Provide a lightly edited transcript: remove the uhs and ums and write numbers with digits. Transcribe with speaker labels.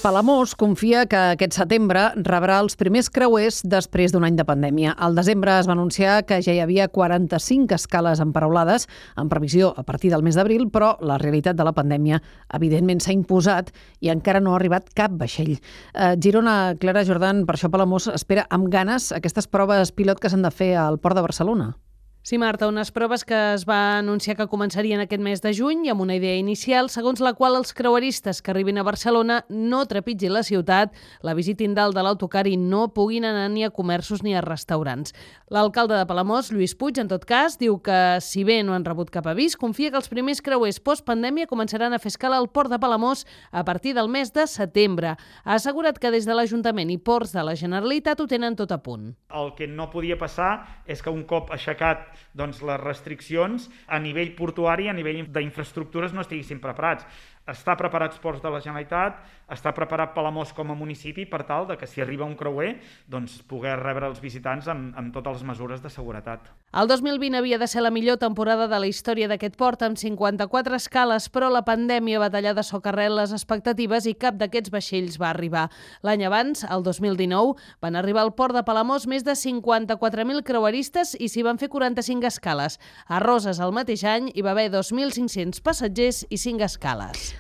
Speaker 1: Palamós confia que aquest setembre rebrà els primers creuers després d'un any de pandèmia. Al desembre es va anunciar que ja hi havia 45 escales emparaulades en previsió a partir del mes d'abril, però la realitat de la pandèmia evidentment s'ha imposat i encara no ha arribat cap vaixell. Girona, Clara Jordan, per això Palamós espera amb ganes aquestes proves pilot que s'han de fer al Port de Barcelona.
Speaker 2: Sí, Marta, unes proves que es va anunciar que començarien aquest mes de juny amb una idea inicial segons la qual els creueristes que arribin a Barcelona no trepitgin la ciutat, la visitin dalt de l'autocar i no puguin anar ni a comerços ni a restaurants. L'alcalde de Palamós, Lluís Puig, en tot cas, diu que si bé no han rebut cap avís, confia que els primers creuers postpandèmia començaran a fer escala al Port de Palamós a partir del mes de setembre. Ha assegurat que des de l'Ajuntament i Ports de la Generalitat ho tenen tot a punt.
Speaker 3: El que no podia passar és que un cop aixecat les restriccions a nivell portuari, a nivell d'infraestructures no estiguessin preparats. Està preparats Ports de la Generalitat, està preparat Palamós com a municipi per tal de que si arriba un creuer poder rebre els visitants amb totes les mesures de seguretat.
Speaker 2: El 2020 havia de ser la millor temporada de la història d'aquest port amb 54 escales, però la pandèmia va tallar de socarrel les expectatives i cap d'aquests vaixells va arribar. L'any abans, el 2019, van arribar al port de Palamós més de 54.000 creueristes i s'hi van fer 45 escales. A Roses, el mateix any, hi va haver 2.500 passatgers i 5 escales.